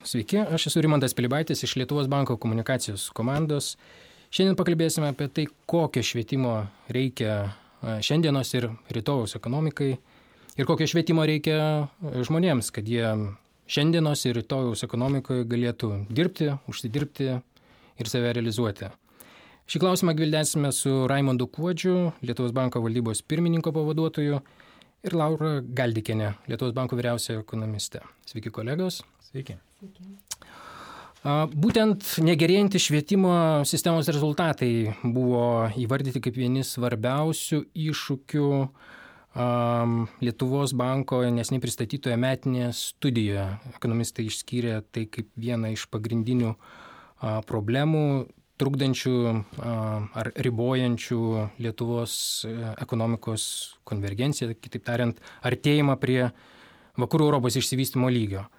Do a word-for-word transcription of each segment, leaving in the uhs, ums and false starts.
Sveiki, aš esu Rimantas Pilibaitis iš Lietuvos banko komunikacijos komandos. Šiandien pakalbėsime apie tai, kokio švietimo reikia šiandienos ir rytojaus ekonomikai ir kokio švietimo reikia žmonėms, kad jie šiandienos ir rytojaus ekonomikoje galėtų dirbti, užsidirbti ir save realizuoti. Šį klausimą gvildensime su Raimondu Kuodžiu, Lietuvos banko valdybos pirmininko pavaduotoju, ir Laura Galdikienė, Lietuvos banko vyriausioji ekonomistė. Sveiki, kolegos. Sveiki. Sveiki. Būtent negerėjantys švietimo sistemos rezultatai buvo įvardyti kaip vieni svarbiausių iššūkių Lietuvos banko neseniai pristatytoje metinėje studijoje. Ekonomistai išskyrė tai kaip vieną iš pagrindinių problemų, trukdančių ar ribojančių Lietuvos ekonomikos konvergenciją, kitaip tariant, artėjimą prie vakarų Europos išsivystymo lygio.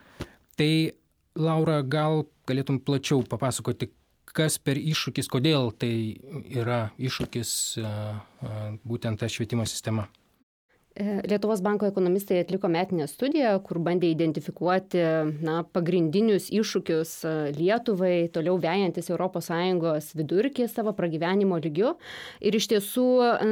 Tai, Laura, gal galėtum plačiau papasakoti, kas per iššūkis, kodėl tai yra iššūkis būtent ta švietimo sistema? Lietuvos banko ekonomistai atliko metinę studiją, kur bandė identifikuoti na, pagrindinius iššūkius Lietuvai, toliau vejantis Europos Sąjungos vidurkį savo pragyvenimo lygiu. Ir iš tiesų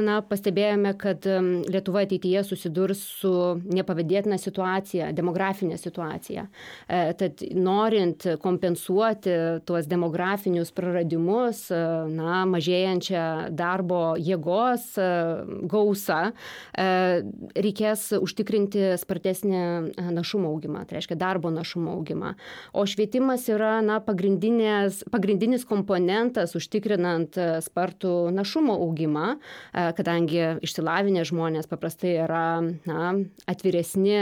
na, pastebėjome, kad Lietuva ateityje susidurs su nepavydėtina situacija, demografinė situacija. Tad norint kompensuoti tuos demografinius praradimus, na, mažėjančią darbo jėgos gausą, reikės užtikrinti spartesnį našumo augimą, tai reiškia darbo našumo augimą. O švietimas yra na, pagrindinis komponentas užtikrinant spartų našumo augimą, kadangi išsilavinę žmonės paprastai yra na, atviresni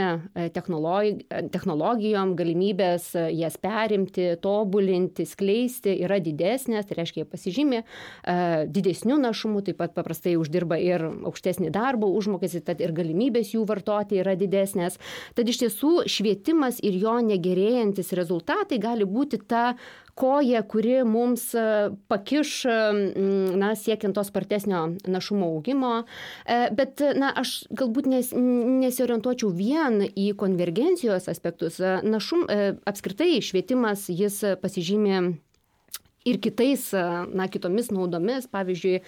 technologi- technologijom, galimybės jas perimti, tobulinti, skleisti yra didesnės, tai reiškia jie pasižymi didesnių našumų, taip pat paprastai uždirba ir aukštesnį darbo užmokestį, tad ir galimybės jų vartoti yra didesnės. Tad iš tiesų švietimas ir jo negerėjantis rezultatai gali būti ta koja, kuri mums pakiš na, siekiant to spartesnio našumo augimo. Bet na, aš galbūt nes, nesiorientuočiau vien į konvergencijos aspektus. Našum, apskritai švietimas jis pasižymi ir kitais, na, kitomis naudomis, pavyzdžiui,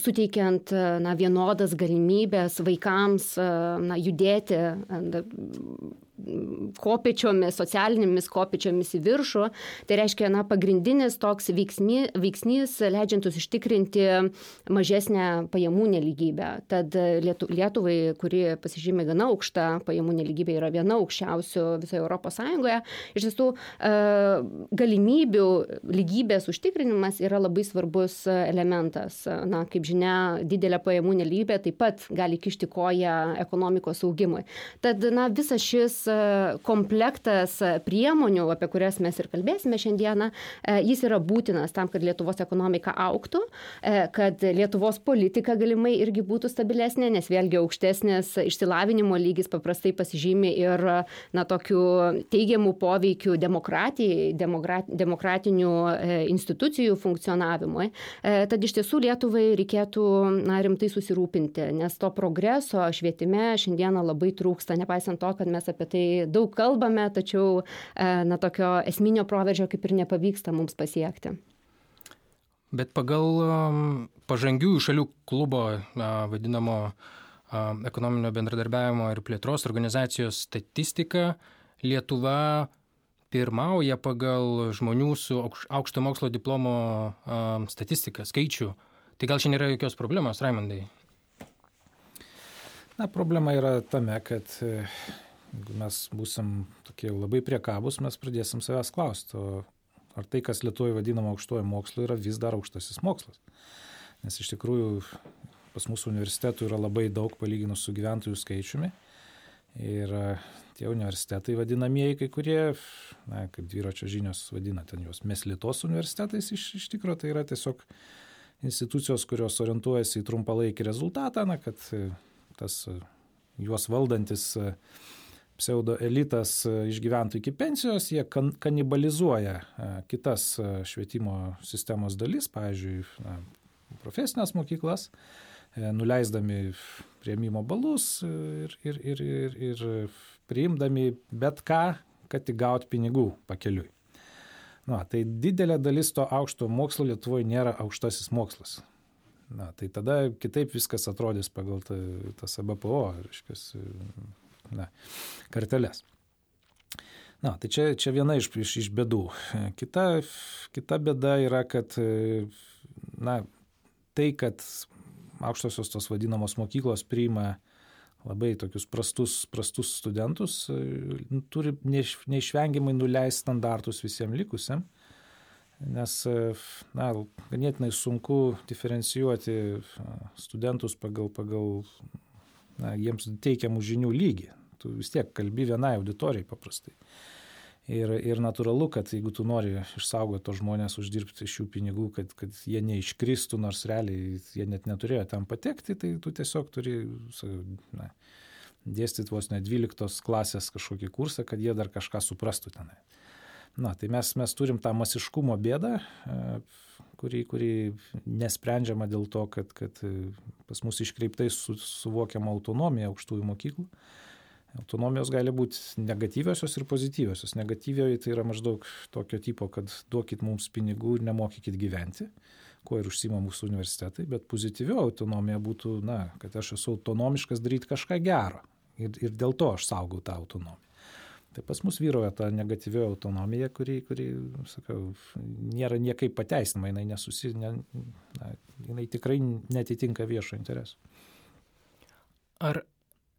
suteikiant na, vienodas galimybės vaikams na, judėti kopėčiomis, socialinėmis kopėčiomis į viršų. Tai reiškia, na, pagrindinis toks veiksmy, veiksnys leidžiantus ištikrinti mažesnę pajamų nelygybę. Tad Lietuvai, kuri pasižymė gana aukštą pajamų nelygybę, yra viena aukščiausių visoje Europos Sąjungoje. Iš tiesų, galimybių lygybės užtikrinimas yra labai svarbus elementas. Na, kaip žinia, didelė pajamų nelygybė taip pat gali kišti koją ekonomikos augimui. Tad, na, visas šis komplektas priemonių, apie kurias mes ir kalbėsime šiandieną, jis yra būtinas tam, kad Lietuvos ekonomika augtų, kad Lietuvos politika galimai irgi būtų stabilesnė, nes vėlgi aukštesnės išsilavinimo lygis paprastai pasižymi ir na, tokių teigiamų poveikių demokratijai, demokratinių institucijų funkcionavimui. Tad iš tiesų Lietuvai reikėtų na, rimtai susirūpinti, nes to progreso švietime šiandieną labai trūksta, nepaisant to, kad mes apie tai daug kalbame, tačiau na, tokio esminio proveržio kaip ir nepavyksta mums pasiekti. Bet pagal pažangiųjų šalių klubo vadinamo ekonominio bendradarbiavimo ir plėtros organizacijos statistiką, Lietuva pirmauja pagal žmonių su aukšto mokslo diplomo statistiką, skaičių. Tai gal čia nėra jokios problemos, Raimondai? Na, problema yra tame, kad jeigu mes būsim tokie labai priekabūs, mes pradėsim savęs klausti, o ar tai, kas Lietuvoje vadinama aukštuoju mokslu, yra vis dar aukštasis mokslas. Nes iš tikrųjų pas mūsų universitetų yra labai daug palyginus su gyventojų skaičiumi. Ir tie universitetai vadinamieji, kai kurie, na, kaip dviračio žinios vadina ten juos Meslitos universitetais, iš, iš tikrųjų tai yra tiesiog institucijos, kurios orientuojasi į trumpalaikį rezultatą, na, kad tas juos valdantis pseudo elitas išgyventų iki pensijos, jie kan, kanibalizuoja kitas švietimo sistemos dalis, pavyzdžiui, na, profesinės mokyklas, nuleisdami priėmimo balus ir, ir, ir, ir, ir priimdami bet ką, kad tik gauti pinigų pakeliui. Na, tai didelė dalis to aukšto mokslo Lietuvoje nėra aukštasis mokslas. Na, tai tada kitaip viskas atrodys pagal ta, tas A B P O, reiškia, na, karteles. Na, tai čia, čia viena iš, iš, iš bėdų. Kita, kita bėda yra, kad na, tai, kad aukštosios tos vadinamos mokyklos priima labai tokius prastus, prastus studentus, turi neiš, neišvengiamai nuleisti standartus visiems likusiam, nes na, ganėtinai sunku diferencijuoti studentus pagal, pagal na, jiems teikiamų žinių lygį. Tu vis tiek kalbi vienai auditorijai paprastai. Ir, ir natūralu, kad jeigu tu nori išsaugoti to žmonės, uždirbti iš jų pinigų, kad, kad jie neiškristų, nors realiai jie net neturėjo ten patekti, tai tu tiesiog turi na, dėstyti vos ne dvyliktos klasės kažkokį kursą, kad jie dar kažką suprastų tenai. Na, tai mes, mes turim tą masiškumo bėdą, kuri, kuri nesprendžiama dėl to, kad, kad pas mus iškreiptai su, suvokiama autonomija aukštųjų mokyklų. Autonomijos gali būti negatyviosios ir pozityviosios. Negatyvioji tai yra maždaug tokio tipo, kad duokit mums pinigų ir nemokykit gyventi, kuo ir užsiima mūsų universitetai, bet pozityvio autonomija būtų, na, kad aš esu autonomiškas daryti kažką gero ir, ir dėl to aš saugau tą autonomiją. Tai pas mus vyroja ta negatyvioji autonomija, kuri, kuri sakau, nėra niekaip pateisinama, jinai, nesusi, ne, na, jinai tikrai netitinka viešo intereso. Ar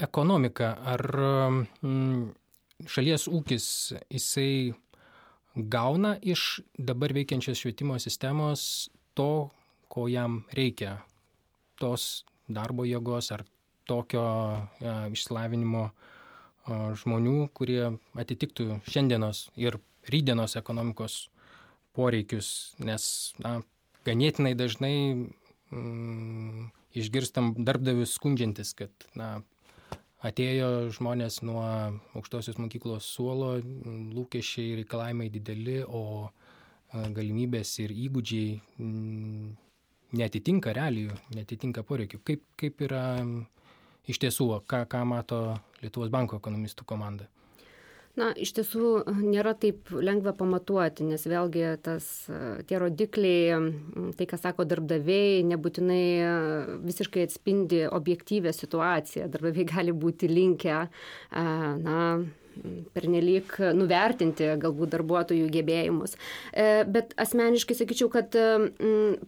ekonomika, ar mm, šalies ūkis, jisai gauna iš dabar veikiančios švietimo sistemos to, ko jam reikia, tos darbo jėgos ar tokio e, išsilavinimo e, žmonių, kurie atitiktų šiandienos ir rydienos ekonomikos poreikius, nes na, ganėtinai dažnai mm, išgirstam darbdavius skundžiantis, kad na, atėjo žmonės nuo aukštosios mokyklos suolo, lūkesčiai ir reikalavimai dideli, o galimybės ir įgūdžiai netitinka realijų, netitinka poreikių. Kaip, kaip yra iš tiesų, ką, ką mato Lietuvos banko ekonomistų komanda? Na, iš tiesų nėra taip lengva pamatuoti, nes vėlgi tas, tie rodikliai, tai, ką sako darbdaviai, nebūtinai visiškai atspindi objektyvę situaciją. Darbdaviai gali būti linkę, na, pernelyg nuvertinti galbūt darbuotojų gebėjimus. Bet asmeniškai sakyčiau, kad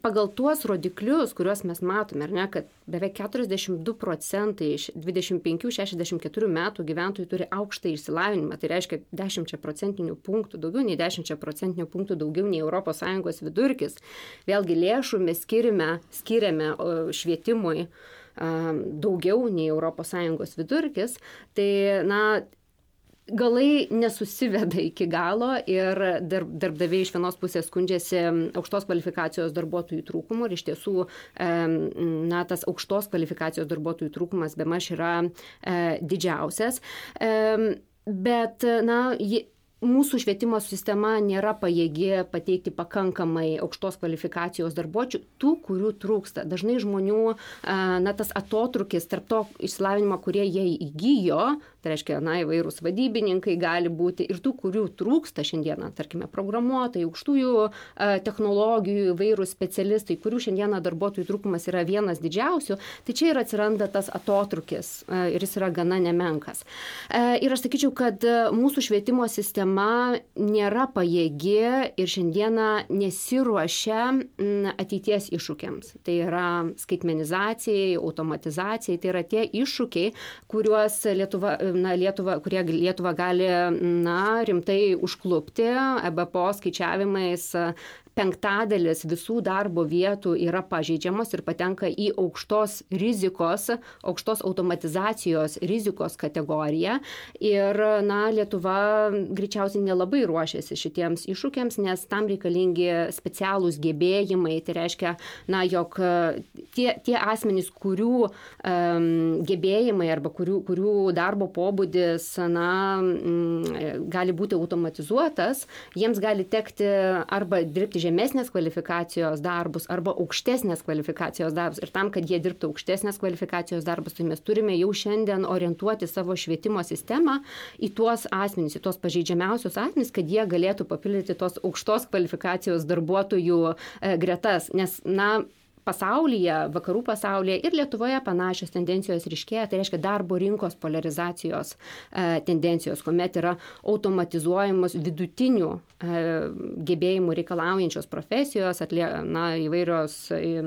pagal tuos rodiklius, kuriuos mes matome, ar ne, kad beveik keturiasdešimt du procentai iš dvidešimt penkių šešiasdešimt keturių metų gyventojų turi aukštą išsilavinimą, tai reiškia dešimt procentinių punktų, daugiau nei dešimt procentinių punktų daugiau nei Europos Sąjungos vidurkis. Vėlgi lėšų mes skiriame, skiriame švietimui daugiau nei Europos Sąjungos vidurkis, tai na, galai nesusiveda iki galo ir darb, darbdaviai iš vienos pusės skundžiasi aukštos kvalifikacijos darbuotojų trūkumu ir iš tiesų na, tas aukštos kvalifikacijos darbuotojų trūkumas bemaž yra didžiausias. Bet na, mūsų švietimo sistema nėra pajėgi pateikti pakankamai aukštos kvalifikacijos darbuotojų, tų, kurių trūksta. Dažnai žmonių, na, tas atotrukis tarp to išsilavinimo, kurie jie įgijo, tai reiškia, na, įvairūs vadybininkai gali būti ir tų, kurių trūksta šiandieną, tarkime, programuotojai, aukštųjų technologijų, įvairūs specialistai, kurių šiandieną darbuotojų trūkumas yra vienas didžiausių, tai čia ir atsiranda tas atotrukis ir jis yra gana nemenkas. Ir aš sakyčiau, kad mūsų švietimo sistema nėra pajėgi ir šiandieną nesiruošia ateities iššūkiams. Tai yra skaitmenizacijai, automatizacijai, tai yra tie iššūkiai, kuriuos Lietuva, na, Lietuva, kurie Lietuva gali na, rimtai užklupti. E B P O skaičiavimais penktadalis visų darbo vietų yra pažeidžiamos ir patenka į aukštos rizikos, aukštos automatizacijos rizikos kategoriją. Ir na, Lietuva greičiausiai nelabai ruošiasi šitiems iššūkiams, nes tam reikalingi specialūs gebėjimai. Tai reiškia, na, jog tie, tie asmenys, kurių um, gebėjimai arba kurių, kurių darbo pobūdis na, m, gali būti automatizuotas, jiems gali tekti arba dirbti žemesnės kvalifikacijos darbus arba aukštesnės kvalifikacijos darbus. Ir tam, kad jie dirbtų aukštesnės kvalifikacijos darbus, tai mes turime jau šiandien orientuoti savo švietimo sistemą į tuos asmenys, į tuos pažeidžiamiausius asmenys, kad jie galėtų papildyti tos aukštos kvalifikacijos darbuotojų gretas. Nes, na, pasaulyje, vakarų pasaulyje ir Lietuvoje panašios tendencijos ryškėja, tai reiškia darbo rinkos polarizacijos e, tendencijos, kuomet yra automatizuojamos vidutinių e, gebėjimų reikalaujančios profesijos, atlie, na, įvairios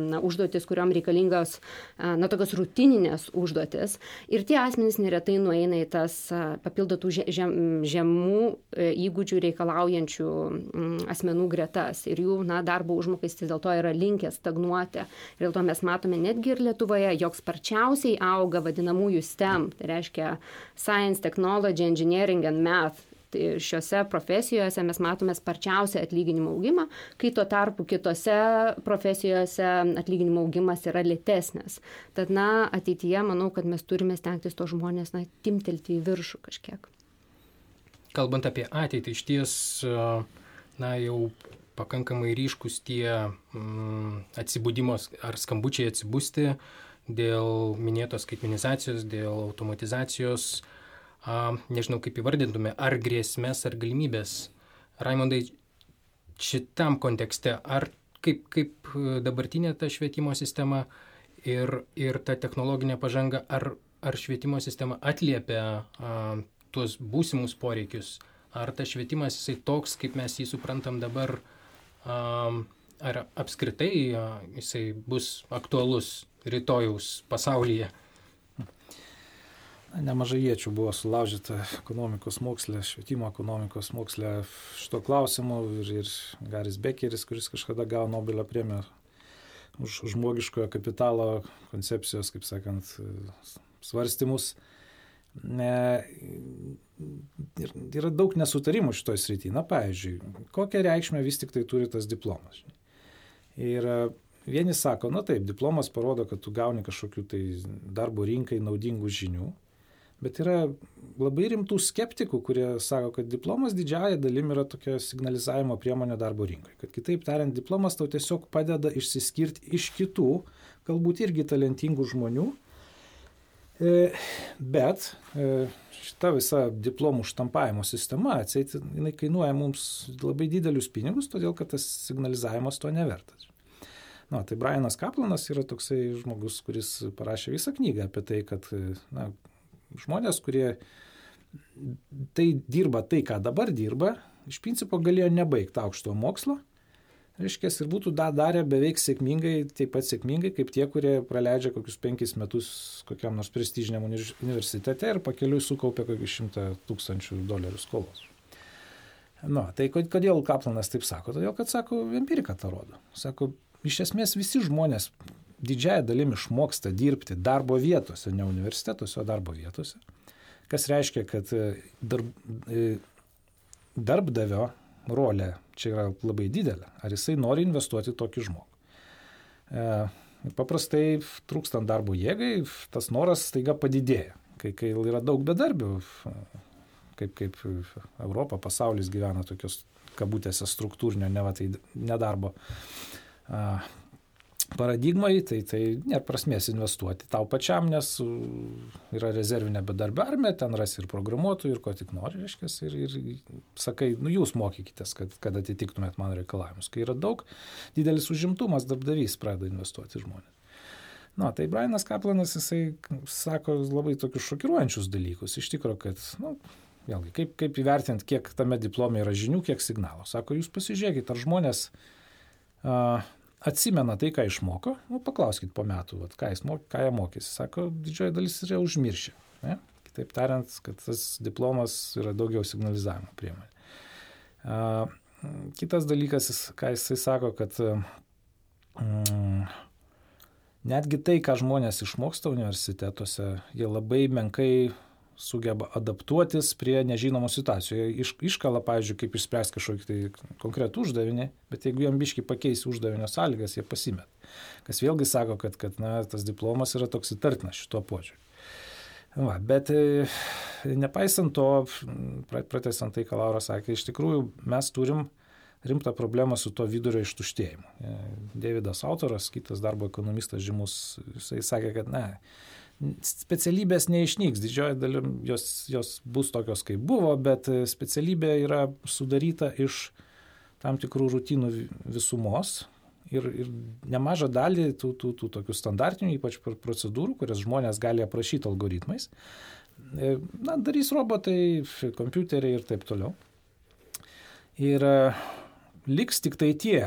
na, užduotis, kuriuom reikalingos e, na, tokios rutininės užduotis. Ir tie asmenys neretai nueina į tas papildotų žem, žemų e, įgūdžių reikalaujančių m, asmenų gretas. Ir jų na, darbo užmokestis dėl to yra linkęs stagnuoti. Ir dėl to mes matome netgi ir Lietuvoje, jog sparčiausiai auga vadinamųjų STEM, tai reiškia Science, Technology, Engineering and Math. Tai šiuose profesijose mes matome sparčiausią atlyginimo augimą, kai tuo tarpu kitose profesijose atlyginimo augimas yra lėtesnis. Tad, na, ateityje manau, kad mes turime stengtis to žmonės, na, timtelti į viršų kažkiek. Kalbant apie ateitį, iš ties, na, jau pakankamai ryškus tie mm, atsibudimos ar skambučiai atsibusti dėl minėtos skaitmenizacijos, dėl automatizacijos, a, nežinau kaip įvardintume, ar grėsmės, ar galimybės. Raimondai, šitam kontekste, ar kaip, kaip dabartinė ta švietimo sistema ir, ir ta technologinė pažanga, ar, ar švietimo sistema atliepia a, tuos būsimus poreikius, ar tas švietimas jisai toks, kaip mes jį suprantam dabar, ar apskritai jisai bus aktualus rytojaus pasaulyje? Nemažai iečių buvo sulaužyta ekonomikos moksle, švietimo ekonomikos moksle šito klausimu ir, ir Garis Bekeris, kuris kažkada gavo Nobelio premiją už žmogiškojo kapitalo koncepcijos, kaip sakant, svarstymus. Ne, yra daug nesutarimų šitoj srity. Na, pavyzdžiui, kokią reikšmę vis tik tai turi tas diplomas. Ir vieni sako, na taip, diplomas parodo, kad tu gauni kažkokių tai darbo rinkai naudingų žinių, bet yra labai rimtų skeptikų, kurie sako, kad diplomas didžiąja dalim yra tokia signalizavimo priemonė darbo rinkai. Kad kitaip tariant, diplomas tau tiesiog padeda išsiskirti iš kitų, galbūt irgi talentingų žmonių. Bet šita visa diplomų štampavimo sistema, atseit, jinai kainuoja mums labai didelius pinigus, todėl kad tas signalizavimas to nevertas. Na, tai Brianas Kaplanas yra toksai žmogus, kuris parašė visą knygą apie tai, kad na, žmonės, kurie tai dirba tai, ką dabar dirba, iš principo galėjo nebaigti aukštojo mokslo, reiškia, ir būtų da, darę beveik sėkmingai, taip pat sėkmingai, kaip tie, kurie praleidžia kokius penkis metus kokiam nors prestižiniam universitete ir pakeliui sukaupia kokius šimtą tūkstančių dolerių skolos. Na, tai kodėl Kaplanas taip sako? Todėl, kad, sako, empirika tą rodo. Sako, iš esmės visi žmonės didžiąją dalim išmoksta dirbti darbo vietose, ne universitetuose, o darbo vietose. Kas reiškia, kad darb, darbdavio rolė čia yra labai didelė. Ar jisai nori investuoti tokį žmogų? E, paprastai trūkstant darbo jėgai, tas noras staiga padidėja. Kai, kai yra daug bedarbių, kaip, kaip Europa, pasaulis gyvena tokios kabutėse struktūrinio, ne va, tai nedarbo a, paradigmai, tai, tai nėra prasmės investuoti tau pačiam, nes yra rezervinė bedarbio armija, ten rasi ir programuotojų, ir ko tik nori, reiškia, ir, ir sakai, nu jūs mokykitės, kad, kad atitiktumėt mano reikalavimus. Kai yra daug didelis užimtumas, darbdavys pradeda investuoti žmonės. Na, tai Brianas Kaplanas, jisai sako labai tokius šokiruojančius dalykus. Iš tikrųjų, kad, nu, vėlgi, kaip, kaip įvertinti, kiek tame diplome yra žinių, kiek signalų. Sako, jūs pasižiūrėkit, ar žmonės uh, atsimena tai, ką išmoko, nu, paklauskit po metų, vat, ką, jis mok, ką jie mokėsi. Sako, didžioji dalis yra užmiršę. Ne? Kitaip tariant, kad tas diplomas yra daugiau signalizavimo priemonė. Uh, kitas dalykas, ką jisai sako, kad um, netgi tai, ką žmonės išmoksta universitetuose, jie labai menkai sugeba adaptuotis prie nežinomų situacijų. Iš, iškala, pavyzdžiui, kaip išspręs kažkokį tai konkretų uždavinį, bet jeigu jam biškai pakeisi uždavinio sąlygas, jie pasimet. Kas vėlgi sako, kad, kad na, tas diplomas yra toks įtartinas šituo požiūriu. Va, bet e, nepaisant to, pratęsant tai, ką Laura sakė, iš tikrųjų mes turim rimtą problemą su to vidurio ištuštėjimu. Davidas Autoras, kitas darbo ekonomistas žymus, jisai sakė, kad ne, specialybės neišnyks, didžioji dalim jos, jos bus tokios, kaip buvo, bet specialybė yra sudaryta iš tam tikrų rutinų visumos ir, ir nemažą dalį tų, tų, tų tokių standartinių, ypač procedūrų, kurias žmonės gali aprašyti algoritmais, na, darys robotai, kompiuteriai ir taip toliau. Ir liks tik tai tie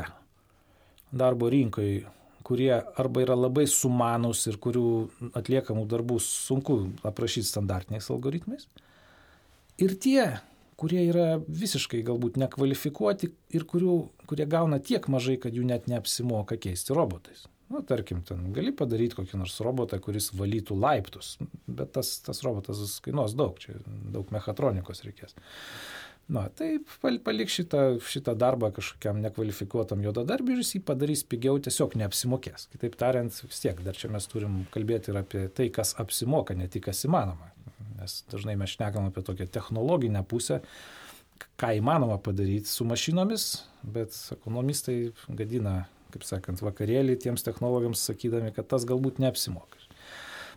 darbo rinkai, kurie arba yra labai sumanus ir kurių atliekamų darbų sunku aprašyti standartiniais algoritmais. Ir tie, kurie yra visiškai galbūt nekvalifikuoti ir kurių, kurie gauna tiek mažai, kad jų net neapsimoka keisti robotais. Nu, tarkim, ten gali padaryti kokį nors robotą, kuris valytų laiptus, bet tas, tas robotas kainuos daug, čia daug mechatronikos reikės. Na, tai palik šitą, šitą darbą kažkokiam nekvalifikuotam juodadarbiui ir jis jį padarys pigiau, tiesiog neapsimokės. Kitaip tariant, vis tiek, dar čia mes turim kalbėti ir apie tai, kas apsimoka, ne tik kas įmanoma. Nes dažnai mes šnekam apie tokią technologinę pusę, ką įmanoma padaryti su mašinomis, bet ekonomistai gadina, kaip sakant, vakarėlį tiems technologams, sakydami, kad tas galbūt neapsimoka.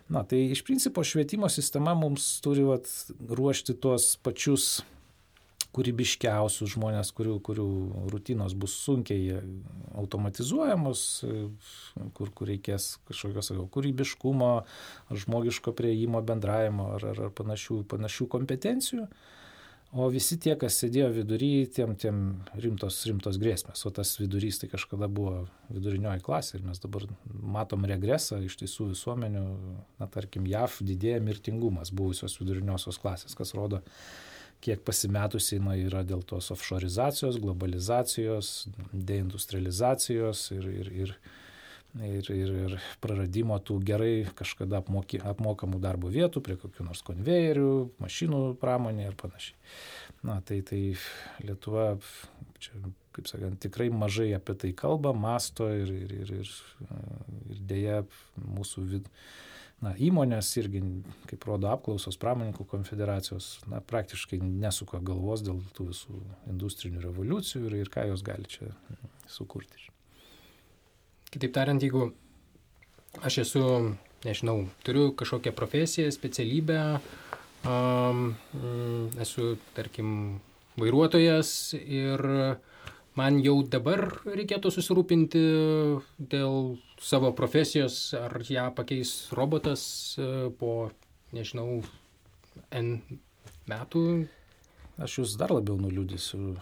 Na, tai iš principo švietimo sistema mums turi vat, ruošti tuos pačius kūrybiškiausius žmonės, kurių, kurių rutinos bus sunkiai automatizuojamos, kur, kur reikės kažkokios kūrybiškumo, ar žmogiško prieimo, bendravimo, ar, ar, ar panašių, panašių kompetencijų. O visi tie, kas sėdėjo vidury, tiem, tiem rimtos, rimtos grėsmės. O tas vidurys tai kažkada buvo vidurinioji klasė ir mes dabar matom regresą iš tiesų visuomenių, na tarkim, J A V didėja mirtingumas buvusios viduriniosios klasės, kas rodo, kiek pasimetusiai na, yra dėl tos offshorizacijos, globalizacijos, deindustrializacijos ir, ir, ir, ir, ir, ir praradimo tų gerai kažkada apmoky, apmokamų darbo vietų prie kokių nors konvejerių, mašinų pramonė ir panašiai. Na, tai, tai Lietuva, čia, kaip sakant, tikrai mažai apie tai kalba, masto ir, ir, ir, ir, ir dėja mūsų vid... Na, įmonės irgi, kaip rodo apklausos pramoninkų konfederacijos, na, praktiškai nesuka galvos dėl tų visų industrinių revoliucijų ir, ir ką jos gali čia sukurti. Kitaip tariant, jeigu aš esu, nežinau, turiu kažkokią profesiją, specialybę, um, esu, tarkim, vairuotojas ir man jau dabar reikėtų susirūpinti dėl savo profesijos, ar ją pakeis robotas po, nežinau, N metų. Aš jūs dar labiau nuliūdysiu.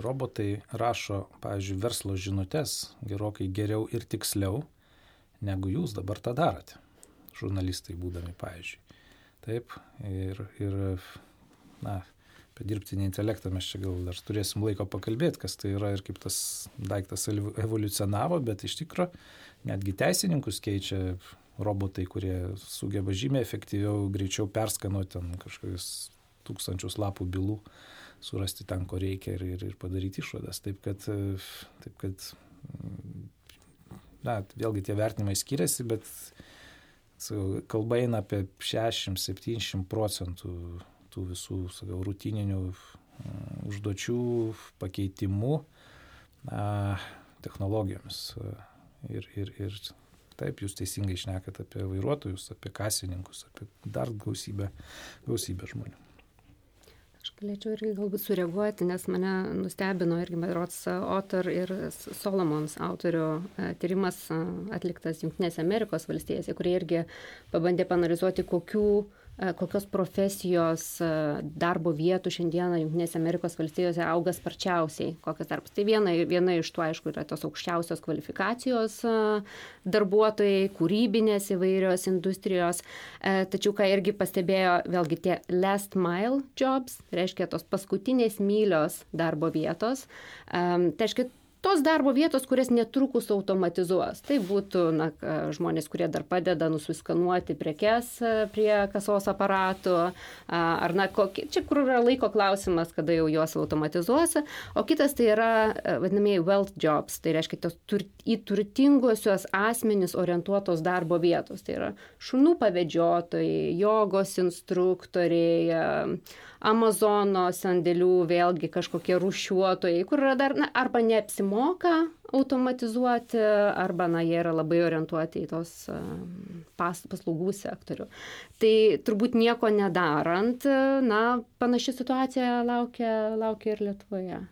Robotai rašo, pavyzdžiui, verslo žinutes gerokai geriau ir tiksliau, negu jūs dabar tą darote. Žurnalistai būdami, pavyzdžiui. Taip, ir, ir na, apie dirbtinį intelektą mes čia gal dar turėsim laiko pakalbėti, kas tai yra ir kaip tas daiktas evoliucionavo, bet iš tikro netgi teisininkus keičia robotai, kurie sugeba žymiai efektyviau, greičiau perskanuoti ten kažkokius tūkstančius lapų bylų, surasti ten, ko reikia ir, ir, ir padaryti išvadas. Taip kad, taip kad na, vėlgi tie vertinimai skiriasi, bet kalba eina apie šešiasdešimt septyniasdešimt procentų tų visų, sakau, rutininių užduočių pakeitimų a, technologijomis. Ir, ir, ir taip, jūs teisingai šnekat apie vairuotojus, apie kasininkus, apie dar gausybę, gausybę žmonių. Aš galėčiau irgi galbūt sureaguoti, nes mane nustebino irgi berods Otter ir Solomons autorių tyrimas atliktas Jungtinėse Amerikos valstijose, kurie irgi pabandė paanalizuoti, kokių kokios profesijos darbo vietų šiandieną Jungtinėse Amerikos valstijose auga sparčiausiai, kokios darbas. Tai viena, viena iš tų, aišku, yra tos aukščiausios kvalifikacijos darbuotojai, kūrybinės įvairios industrijos, tačiau ką irgi pastebėjo, vėlgi tie last mile jobs, reiškia tos paskutinės mylios darbo vietos, tai reiškia tos darbo vietos, kurias netrukus automatizuos. Tai būtų na, žmonės, kurie dar padeda nusiskanuoti prekes prie kasos aparatų, ar na, kokie, čia kur yra laiko klausimas, kada jau juos automatizuos. O kitas tai yra vadinamieji wealth jobs, tai reiškia tos tur, į turtinguosios asmenis orientuotos darbo vietos. Tai yra šunų pavedžiotojai, jogos instruktoriai, Amazono sandėlių vėlgi kažkokie rūšiuotojai, kur yra dar, na, arba neapsimoka automatizuoti, arba, na, jie yra labai orientuoti į tos pas, paslaugų sektorių. Tai turbūt nieko nedarant, na, panaši situacija laukia, laukia ir Lietuvoje.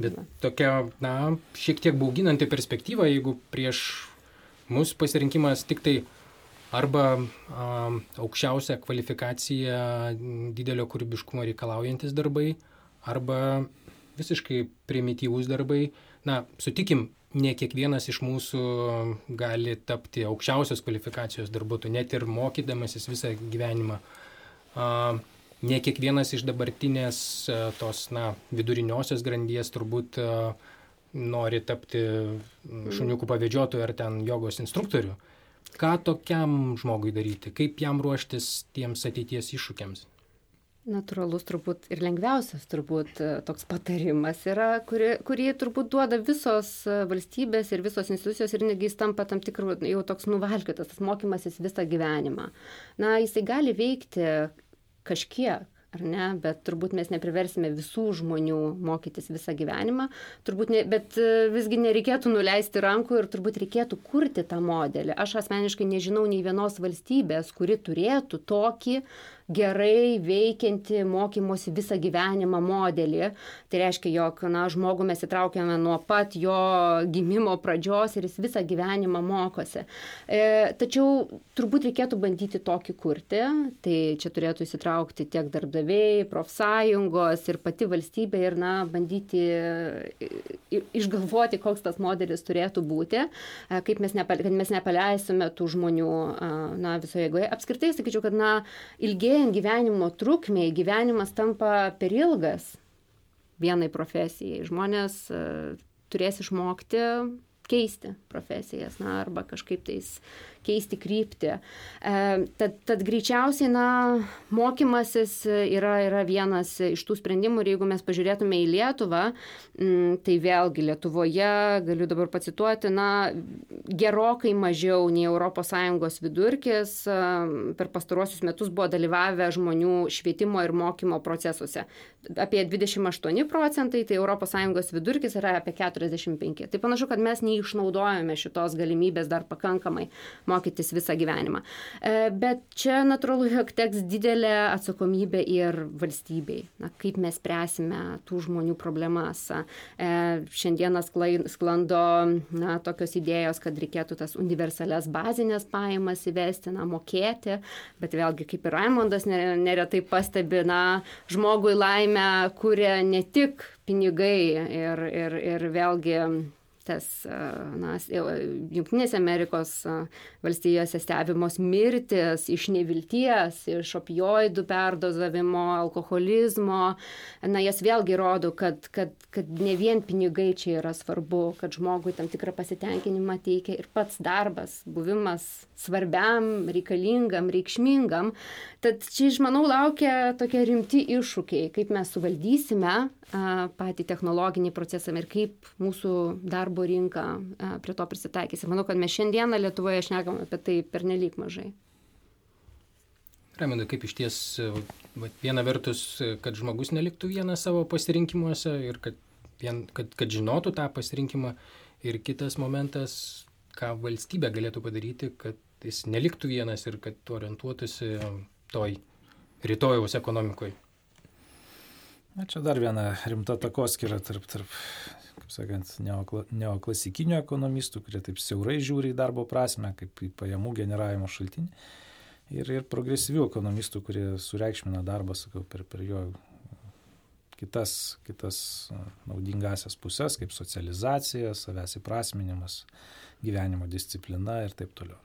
Bet tokia, na, šiek tiek bauginanti perspektyva, jeigu prieš mūsų pasirinkimas tik tai arba a, aukščiausią kvalifikaciją, didelio kūrybiškumo reikalaujantis darbai, arba visiškai primityvūs darbai. Na, sutikim, ne kiekvienas iš mūsų gali tapti aukščiausios kvalifikacijos darbuotojų, net ir mokydamasis visą gyvenimą. A, ne kiekvienas iš dabartinės a, tos, na, viduriniosios grandies turbūt a, nori tapti šuniukų pavedžiotojų ar ten jogos instruktorių. Ką tokiam žmogui daryti? Kaip jam ruoštis tiems ateities iššūkiams? Natūralus turbūt ir lengviausias turbūt toks patarimas yra, kuri, kurį turbūt duoda visos valstybės ir visos institucijos ir netgi jis tampa tam tikrų jau toks nuvalkiotas, tas mokymasis visą gyvenimą. Na, jisai gali veikti kažkiek, ar ne, bet turbūt mes nepriversime visų žmonių mokytis visą gyvenimą, turbūt ne, bet visgi nereikėtų nuleisti rankų ir turbūt reikėtų kurti tą modelį. Aš asmeniškai nežinau nei vienos valstybės, kuri turėtų tokį gerai veikianti mokymosi visą gyvenimą modelį. Tai reiškia, jog, na, žmogų mes įtraukiame nuo pat jo gimimo pradžios ir jis visą gyvenimą mokosi. E, tačiau turbūt reikėtų bandyti tokį kurti. Tai čia turėtų įsitraukti tiek darbdaviai, profsąjungos ir pati valstybė ir, na, bandyti išgalvoti, koks tas modelis turėtų būti, kaip mes, nepale, kad mes nepaleisime tų žmonių, na, visoje eigoje. Apskritai, sakyčiau, kad, na, ilgėjant gyvenimo trukmei, gyvenimas tampa per ilgas vienai profesijai. Žmonės uh, turės išmokti keisti profesijas, na, arba kažkaip tais keisti kryptį. E, tad, tad greičiausiai, na, mokymasis yra, yra vienas iš tų sprendimų ir jeigu mes pažiūrėtume į Lietuvą, m, tai vėlgi Lietuvoje, galiu dabar pacituoti, na, gerokai mažiau nei Europos Sąjungos vidurkis per pastaruosius metus buvo dalyvavę žmonių švietimo ir mokymo procesuose. Apie dvidešimt aštuoni procentai, tai Europos Sąjungos vidurkis yra apie keturiasdešimt penki. Tai panašu, kad mes neišnaudojame šitos galimybės dar pakankamai mokytis visą gyvenimą. Bet čia natūralu, jog teks didelė atsakomybė ir valstybei. Na, kaip mes spręsime tų žmonių problemas. Šiandieną sklando, na, tokios idėjos, kad reikėtų tas universalias bazinės pajamas įvesti, na, mokėti, bet vėlgi, kaip ir Raimondas neretai pastebi, na, žmogui laimę kuria ne tik pinigai ir, ir, ir vėlgi tas, na, Jungtinėse Amerikos valstijose stebimos mirtis iš nevilties, iš opioidų perdozavimo, alkoholizmo. Na, jas vėlgi rodo, kad, kad, kad ne vien pinigai čia yra svarbu, kad žmogui tam tikrą pasitenkinimą teikia ir pats darbas, buvimas svarbiam, reikalingam, reikšmingam. Tad čia, aš manau, laukia tokie rimti iššūkiai, kaip mes suvaldysime a, patį technologinį procesą ir kaip mūsų darbo rinka a, prie to prisitaikys. Ir manau, kad mes šiandieną Lietuvoje šnekam apie tai pernelyg mažai. Raimondai, kaip iš ties, viena vertus, kad žmogus neliktų vienas savo pasirinkimuose ir kad, vien, kad, kad žinotų tą pasirinkimą, ir kitas momentas, ką valstybė galėtų padaryti, kad jis neliktų vienas ir kad orientuotųsi toj rytojaus ekonomikoje. Na, čia dar viena rimta takoskyra tarp, tarp, kaip sakant, neokla, neoklasikinių ekonomistų, kurie taip siaurai žiūri į darbo prasme, kaip į pajamų generavimo šaltinį, ir, ir progresyvių ekonomistų, kurie sureikšmina darbą, sakau, per, per jo kitas, kitas naudingasias pusės, kaip socializacija, savęs įprasminimas, gyvenimo disciplina ir taip toliau.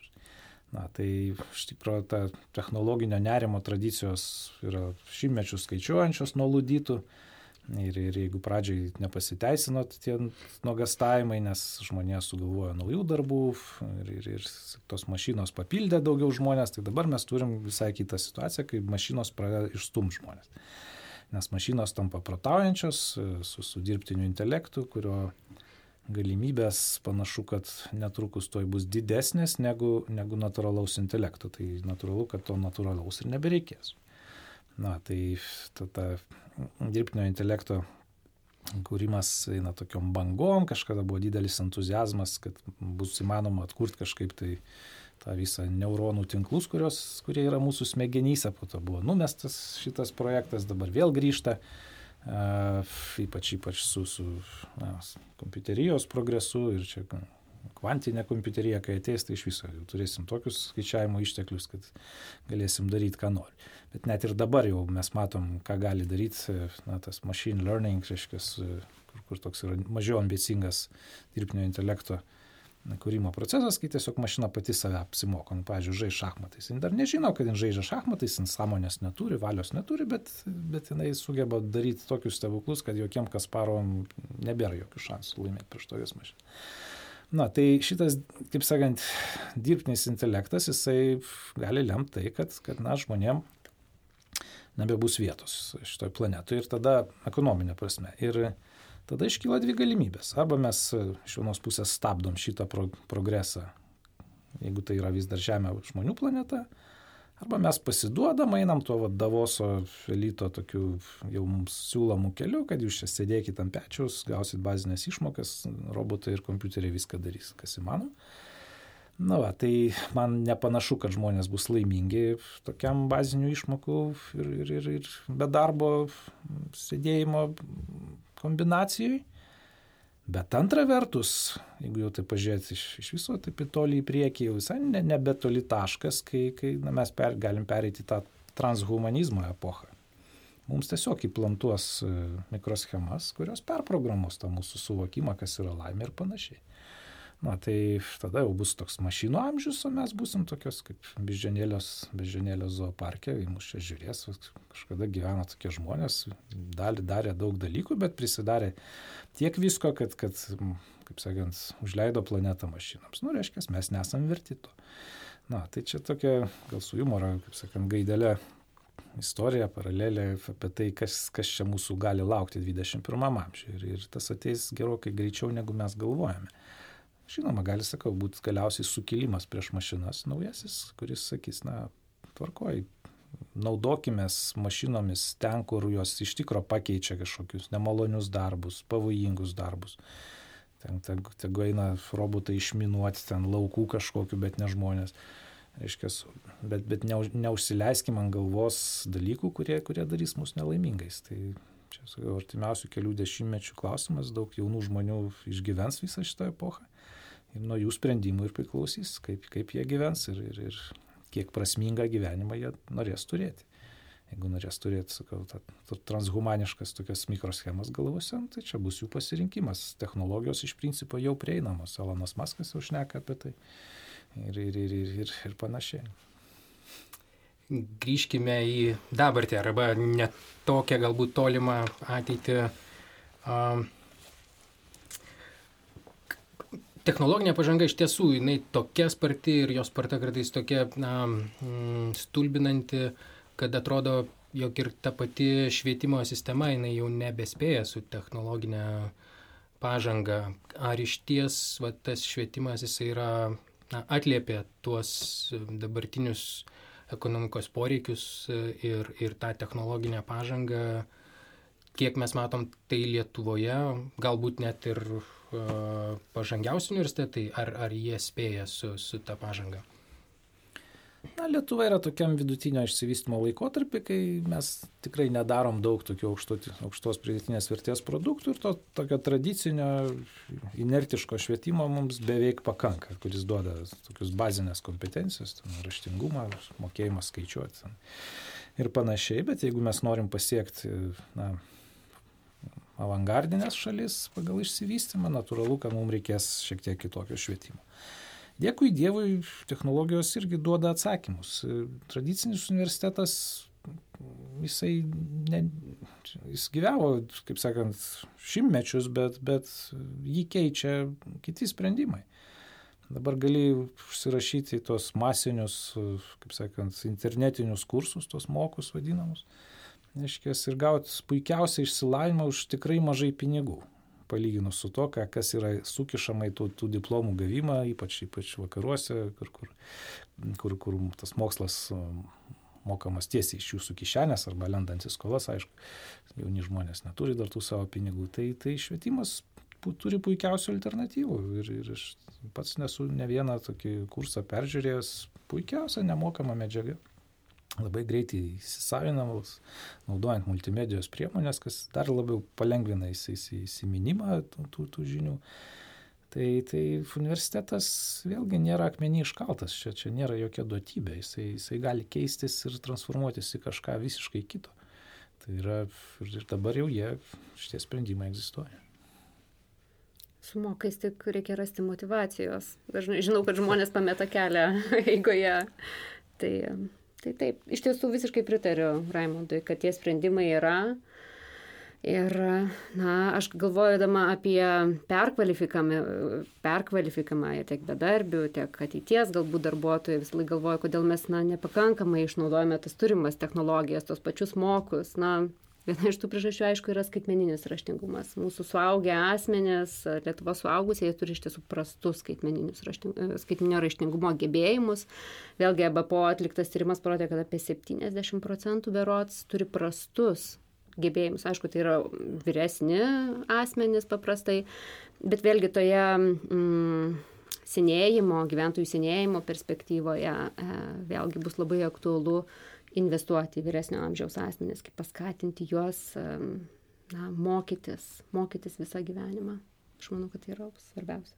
Na, tai iš tikrųjų ta technologinio nerimo tradicijos yra šimtmečius skaičiuojančios nuo ludytų ir, ir jeigu pradžiai nepasiteisino tie nuogastavimai, nes žmonės sugalvojo naujų darbų ir, ir, ir tos mašinos papildė daugiau žmonės, tai dabar mes turim visai kitą situaciją, kai mašinos pradeda išstumti žmonės. Nes mašinos tampa protaujančios su, su dirbtiniu intelektu, kurio galimybės panašu, kad netrukus toj bus didesnės negu, negu natūralaus intelekto. Tai natūralu, kad to natūralaus ir nebereikės. Na, tai ta, ta dirbtinio intelekto kūrimas eina tokiom bangom, kažkada buvo didelis entuzijazmas, kad bus įmanoma atkurti kažkaip tai tą visą neuronų tinklus, kurios, kurie yra mūsų smegenyse, po to buvo numestas šitas projektas, dabar vėl grįžta, uh, ypač, ypač su, su na, kompiuterijos progresu ir čia kvantinė kompiuterija, kai ateis, tai iš viso jau turėsim tokius skaičiavimo išteklius, kad galėsim daryti, ką nori. Bet net ir dabar jau mes matom, ką gali daryti na, tas machine learning, reiškia, kur, kur toks yra mažiau ambicingas dirbtinio intelekto kūrimo procesas, kai tiesiog mašina pati save apsimoko. Nu, pavyzdžiui, žais šachmatais. Jis dar nežino, kad jis žaidžia šachmatais, jis sąmonės neturi, valios neturi, bet, bet jinai sugeba daryti tokius stebuklus, kad jokiem Kasparovam nebėra jokių šansų laimėti prieš tokias mašinas. Na, tai šitas, kaip sakant, dirbtinis intelektas, jisai gali lemti tai, kad, kad na, žmonėm nebebus vietos šitoj planetoje ir tada ekonominė prasme. Ir tada iškyla dvi galimybės. Arba mes iš vienos pusės stabdom šitą pro, progresą, jeigu tai yra vis dar Žemė žmonių planeta, arba mes pasiduodam, einam tuo va, Davoso elito tokiu jau mums siūlomų keliu, kad jūs čia sėdėkit ant pečiaus, gausit bazinės išmokas, robotai ir kompiuteriai viską darys, kas įmanoma. Na va, tai man nepanašu, kad žmonės bus laimingi tokiam bazinių išmokų ir, ir, ir, ir be darbo sėdėjimo kombinacijai. Bet antra vertus, jeigu jau tai pažiūrėti iš, iš viso taip į tolį į priekį, jau visai ne, nebetoli taškas, kai, kai na, mes per, galim pereiti tą transhumanizmo epochą. Mums tiesiog įplantuos mikroschemas, kurios perprogramuos tą mūsų suvokimą, kas yra laimė ir panašiai. Na, tai tada jau bus toks mašinų amžius, o mes būsim tokios kaip beždžionėlės, beždžionėlės zooparke, į mus čia žiūrės, kažkada gyveno tokie žmonės, dalį darė daug dalykų, bet prisidarė tiek visko, kad, kad kaip sakant, užleido planetą mašinams. Nu, reiškia, mes nesam verti to. Na, tai čia tokia, gal su humoro, kaip sakant, gaidelė istorija, paralelė apie tai, kas, kas čia mūsų gali laukti dvidešimt pirmam amžiuje. Ir, ir tas ateis gerokai greičiau, negu mes galvojame. Žinoma, gali, sakau, būti galiausiai sukilimas prieš mašinas naujasis, kuris sakys, na, tvarkoj, naudokimės mašinomis ten, kur jos iš tikro pakeičia kažkokius nemalonius darbus, pavojingus darbus. Ten, ten, tegu eina robotai išminuoti ten laukų kažkokiu, bet ne žmonės. Reiškia, bet, bet neužsileiskim ant galvos dalykų, kurie, kurie darys mus nelaimingais. Tai čia, sakau, artimiausių kelių dešimtmečių klausimas, daug jaunų žmonių išgyvens visą šitą epochą. Ir nuo jų sprendimų ir priklausys, kaip, kaip jie gyvens ir, ir, ir kiek prasmingą gyvenimą jie norės turėti. Jeigu norės turėti, sakau, ta, ta transhumaniškas tokias mikroschemas galvose, tai čia bus jų pasirinkimas. Technologijos iš principo jau prieinamos. Elonas Maskas jau šneka apie tai ir, ir, ir, ir, ir, ir panašiai. Grįžkime į dabartį arba net tokią galbūt tolimą ateitį. Um, Technologinė pažanga iš tiesų, jinai tokia sparti ir jos sparta kartais tokia na, stulbinanti, kad atrodo, jog ir ta pati švietimo sistema, jinai jau nebespėja su technologinė pažanga. Ar iš ties va, tas švietimas jisai yra, na, atliepia tuos dabartinius ekonomikos poreikius ir, ir tą technologinę pažangą, kiek mes matom tai Lietuvoje, galbūt net ir pažangiausi universitetai, ar, ar jie spėja su, su ta pažanga? Na, Lietuva yra tokiam vidutinio išsivystymo laikotarpį, kai mes tikrai nedarom daug tokių aukšto, aukštos pridėtinės vertės produktų ir to tokio tradicinio inertiško švietimo mums beveik pakanka, kuris duoda tokius bazinės kompetencijos, raštingumą, mokėjimą skaičiuoti ir panašiai, bet jeigu mes norim pasiekti, na, avangardinės šalis pagal išsivystymą, natūralu, kad mums reikės šiek tiek kitokio švietimo. Dėkui Dievui, technologijos irgi duoda atsakymus. Tradicinis universitetas, jisai ne, jis gyvavo, kaip sakant, šimtmečius, bet, bet jį keičia kiti sprendimai. Dabar gali užsirašyti tos masinius, kaip sakant, internetinius kursus, tos mokus vadinamus. Neškės, ir gauti puikiausią išsilavinimą už tikrai mažai pinigų, palyginus su to, kas yra sukišama į tų, tų diplomų gavimą, ypač, ypač vakaruose, kur, kur, kur, kur tas mokslas mokamas tiesiai iš jūsų kišenės arba lendant į skolas, aišku, jauni žmonės neturi dar tų savo pinigų, tai, tai švietimas turi puikiausių alternatyvų ir, ir aš pats nesu ne vieną tokį kursą peržiūrėjęs, puikiausia nemokama medžiaga. Labai greitai įsisavinamas, naudojant multimedijos priemonės, kas dar labiau palengvina įsiminimą tų, tų, tų žinių. Tai, tai universitetas vėlgi nėra akmenį iškaltas, čia, čia nėra jokia duotybė, jisai, jisai gali keistis ir transformuotis į kažką visiškai kito. Tai yra, ir dabar jau jie, šitie sprendimai egzistuoja. Su mokais tik reikia rasti motyvacijos. Dažnai žinau, kad žmonės pameta kelią eigoje. Tai... Tai taip, iš tiesų visiškai pritariu Raimundui, kad tie sprendimai yra. Ir, na, aš galvojama apie perkvalifikavimą, perkvalifikavimą tiek bedarbių, tiek ateities galbūt darbuotojų, vis laik galvoju, kodėl mes, na, nepakankamai išnaudojame tas turimas technologijas, tos pačius mokus. Na, viena iš tų priežasčių, aišku, yra skaitmeninis raštingumas. Mūsų suaugę asmenys, Lietuvos suaugusieji turi iš tiesų prastus skaitmeninio raštingumo gebėjimus. Vėlgi, E B P O atliktas tyrimas parodė, kad apie septyniasdešimt procentų berods turi prastus gebėjimus. Aišku, tai yra vyresni asmenys paprastai, bet vėlgi toje mm, senėjimo, gyventojų senėjimo perspektyvoje e, vėlgi bus labai aktualu investuoti į vyresnio amžiaus asmenis, kaip paskatinti juos na, mokytis, mokytis visą gyvenimą. Aš manau, kad tai yra svarbiausia.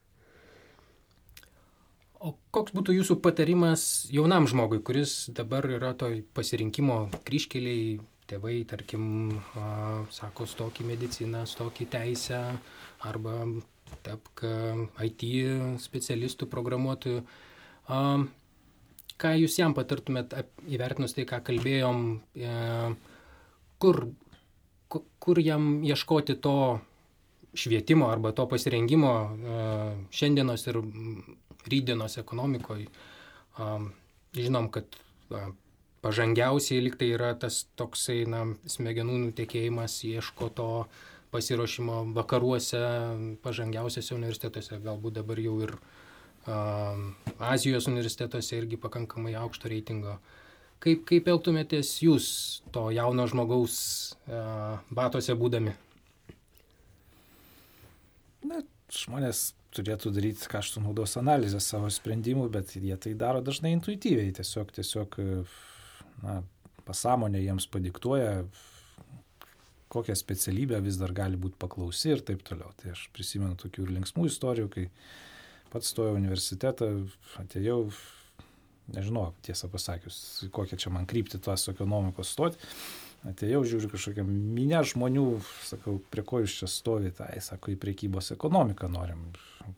O koks būtų jūsų patarimas jaunam žmogui, kuris dabar yra toj pasirinkimo kryžkeliai, tėvai, tarkim, a, sako, stok į mediciną, stok į teisę, arba tapk I T specialistų, programuotojų. A, Ką jūs jam patartumėt įvertinus tai, ką kalbėjom, e, kur, kur jam ieškoti to švietimo arba to pasirengimo e, šiandienos ir rytdienos ekonomikoje. E, žinom, kad e, pažangiausiai lyg tai yra tas toksai na, smegenų nutekėjimas, ieško to pasiruošimo vakaruose, pažangiausiose universitetuose, galbūt dabar jau ir Azijos universitetuose irgi pakankamai aukšto reitingo. Kaip, kaip elgtumėtės jūs to jauno žmogaus uh, batose būdami? Na, žmonės turėtų daryti kaštų naudos analizę savo sprendimų, bet jie tai daro dažnai intuityviai. Tiesiog, tiesiog na, pasąmonė jiems padiktuoja, kokią specialybę vis dar gali būti paklausi ir taip toliau. Tai aš prisimenu tokių ir linksmų istorijų, kai pats stojau universitetą, atėjau, nežinau, tiesą pasakius, kokią čia man krypti tos ekonomikos stoti. Atėjau, žiūriu kažkokią minę žmonių, sakau, prie ko jūs čia stovite, tai sako, į prekybos ekonomiką norim.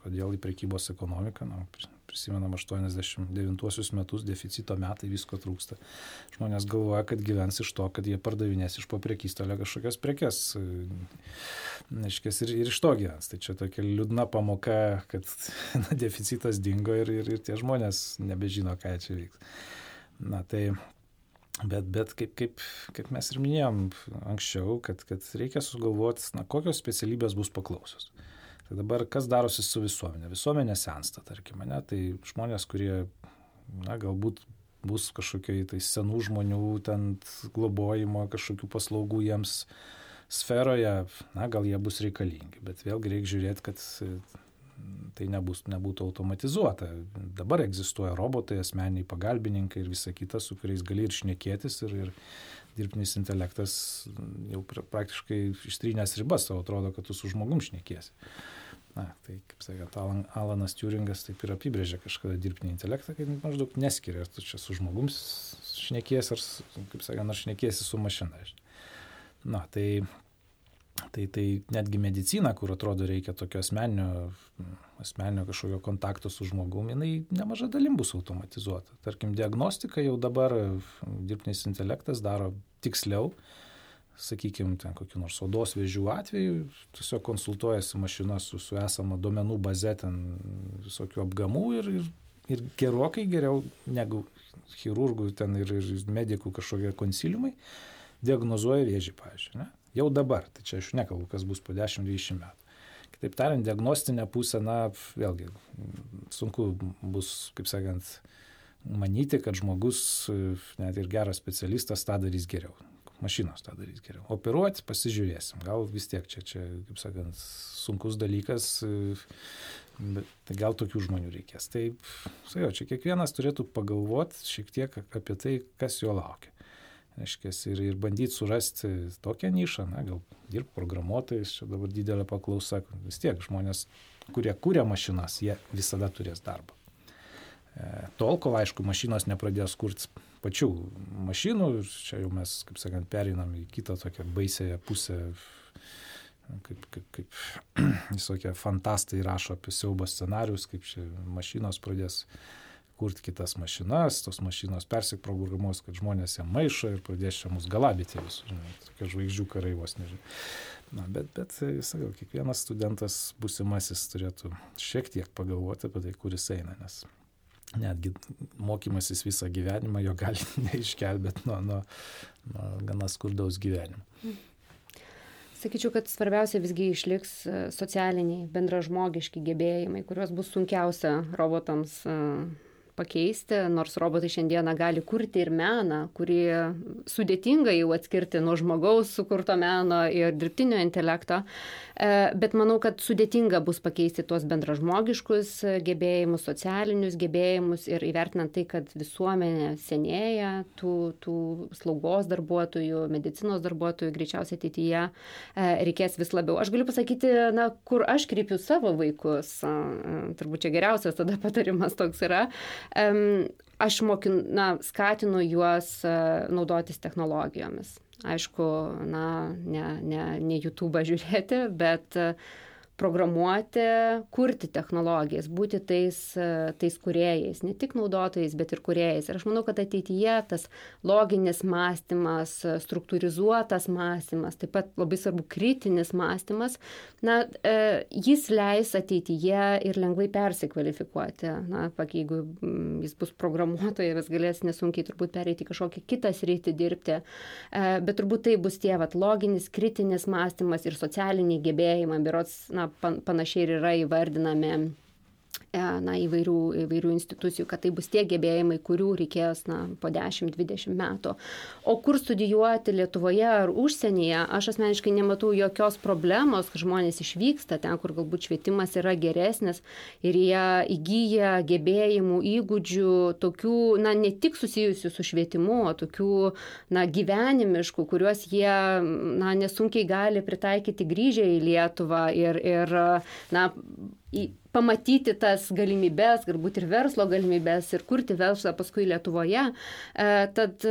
Kodėl į prekybos ekonomiką? Nu, prisimenam aštuoniasdešimt devintuosius metus, deficito metai, visko trūksta. Žmonės galvoja, kad gyvens iš to, kad jie pardavinės iš po prekystalio kažkokias prekes. Neiškės ir, ir iš to gyvens. Tai čia tokia liūdna pamoka, kad na, deficitas dingo ir, ir, ir tie žmonės nebežino, ką čia vyks. Na tai, bet, bet kaip, kaip, kaip mes ir minėjom anksčiau, kad, kad reikia sugalvoti, na, kokios specialybės bus paklausios. Tai dabar kas darosi su visuomenė? Visuomenė sensta, tarkim, ne? Tai žmonės, kurie, na, galbūt bus kažkokiai tai senų žmonių ten globojimo, kažkokių paslaugų jiems sferoje, na, gal jie bus reikalingi, bet vėlgi reikia žiūrėti, kad tai nebus, nebūtų automatizuota. Dabar egzistuoja robotai, asmeniniai pagalbininkai ir visa kita, su kuriais gali ir šnekėtis ir, ir dirbtinis intelektas jau praktiškai ištrynęs ribas, tau atrodo, kad tu su žmogum šnekiesi. Na, tai, kaip sakant, Alan, Alanas Turingas taip ir apibrėžė kažkada dirbtinį intelektą, kad maždaug neskiria, ar tu čia su žmogum šnekiesi, ar, kaip sakant, ar šnekiesi su mašina. Na, tai, tai, tai netgi medicina, kur atrodo reikia tokio asmeninio, asmeninio kažkokio kontakto su žmogum, jinai nemaža dalim bus automatizuota. Tarkim, diagnostika jau dabar dirbtinis intelektas daro tiksliau, sakykime, ten kokių nors odos vėžių atveju, tiesiog konsultuojasi mašina su, su esama duomenų baze ten visokių apgamų ir, ir, ir gerokai geriau negu chirurgų ten ir, ir medikų kažkokie konsiliumai diagnozuoja vėžį, pavyzdžiui. Ne? Jau dabar, tai čia aš nekalbu, kas bus po dešimt dvidešimt metų. Kitaip tariant, diagnostinė pusė, na, vėlgi, sunku bus, kaip sakant, manyti, kad žmogus, net ir geras specialistas, tą darys geriau. Mašinos tą darys geriau. Operuoti pasižiūrėsim. Gal vis tiek čia, čia kaip sakant, sunkus dalykas, bet gal tokių žmonių reikės. Tai, sakiau, čia kiekvienas turėtų pagalvoti šiek tiek apie tai, kas jo laukia. Reiškia, ir, ir bandyti surasti tokią nišą, na, gal dirbti programuotojais, čia dabar didelė paklausa, vis tiek žmonės, kurie kūrė mašinas, jie visada turės darbą. E, tol, kol, aišku, mašinos nepradės kurti pačių mašinų, ir čia jau mes, kaip sakant, pereinam į kitą tokią baisėją pusę, kaip, kaip, kaip visokie fantastai rašo apie siaubo scenarius, kaip čia mašinos pradės kurti kitas mašinas, tos mašinos persiprogramuos, kad žmonės ją maišo ir pradės čia mus galabyti visur, tokie žvaigždžių karai vos nežinau. Na, bet, bet, sakau, kiekvienas studentas būsimasis turėtų šiek tiek pagalvoti apie tai, kur jis eina, nes netgi mokymasis visą gyvenimą jo gali neišgelbėti nuo, nuo, nuo gana skurdaus gyvenimo. Sakyčiau, kad svarbiausia visgi išliks socialiniai, bendražmogiški gebėjimai, kuriuos bus sunkiausia robotams pakeisti, nors robotai šiandieną gali kurti ir meną, kurį sudėtinga jau atskirti nuo žmogaus sukurto meno ir dirbtinio intelekto, bet manau, kad sudėtinga bus pakeisti tuos bendražmogiškus gebėjimus, socialinius gebėjimus ir įvertinant tai, kad visuomenė senėja, tų, tų slaugos darbuotojų, medicinos darbuotojų greičiausiai ateityje reikės vis labiau. Aš galiu pasakyti, na, kur aš kreipiu savo vaikus, turbūt čia geriausias tada patarimas toks yra. Aš mokin, na, skatinu juos naudotis technologijomis. Aišku, na, ne, ne, ne YouTube'ą žiūrėti, bet programuoti, kurti technologijas, būti tais, tais kūrėjais, ne tik naudotojais, bet ir kūrėjais. Ir aš manau, kad ateityje tas loginis mąstymas, struktūrizuotas mąstymas, taip pat labai svarbu kritinis mąstymas, na, jis leis ateityje ir lengvai persikvalifikuoti. Na, jeigu jis bus programuotojas, galės nesunkiai turbūt pereiti kažkokią kitą sritį dirbti, bet turbūt tai bus tie vat, loginis, kritinis mąstymas ir socialiniai gebėjimai, berods, na, panašiai ir yra įvardinami na, įvairių, įvairių institucijų, kad tai bus tie gebėjimai, kurių reikės na, po dešimt dvidešimt metų. O kur studijuoti Lietuvoje ar užsienyje, aš asmeniškai nematau jokios problemos, kad žmonės išvyksta ten, kur galbūt švietimas yra geresnis ir jie įgyja gebėjimų, įgūdžių, tokių, na, ne tik susijusių su švietimu, o tokių, na, gyvenimiškų, kuriuos jie, na, nesunkiai gali pritaikyti grįžę į Lietuvą ir, ir na, į, pamatyti tas galimybės, galbūt ir verslo galimybės ir kurti verslą paskui Lietuvoje. E, tad,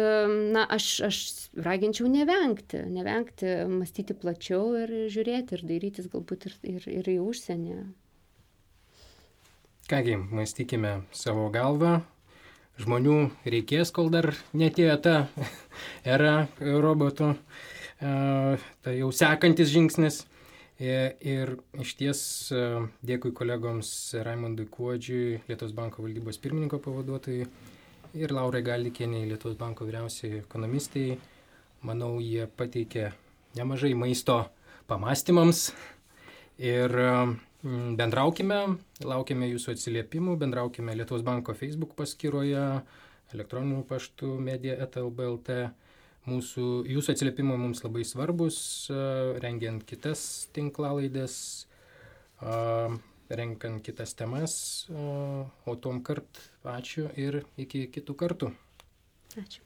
na, aš, aš raginčiau nevengti, nevengti, mąstyti plačiau ir žiūrėti ir dairytis galbūt ir, ir, ir į užsienį. Kągi, mąstykime savo galvą. Žmonių reikės, kol dar netėjo ta era robotų, e, tai jau sekantis žingsnis. Ir iš ties dėkui kolegoms Raimondui Kuodžiui, Lietuvos banko valdybos pirmininko pavaduotojai ir Laurai Galdikienei, Lietuvos banko vyriausiai ekonomistai. Manau, jie pateikė nemažai maisto pamastymams ir bendraukime, laukiame jūsų atsiliepimų, bendraukime Lietuvos banko Facebook paskyroje, elektroniniu paštu media eta el b el t. Mūsų, jūsų atsiliepimai mums labai svarbus, rengiant kitas tinklalaidės, renkant kitas temas, o tom kart ačiū ir iki kitų kartų. Ačiū.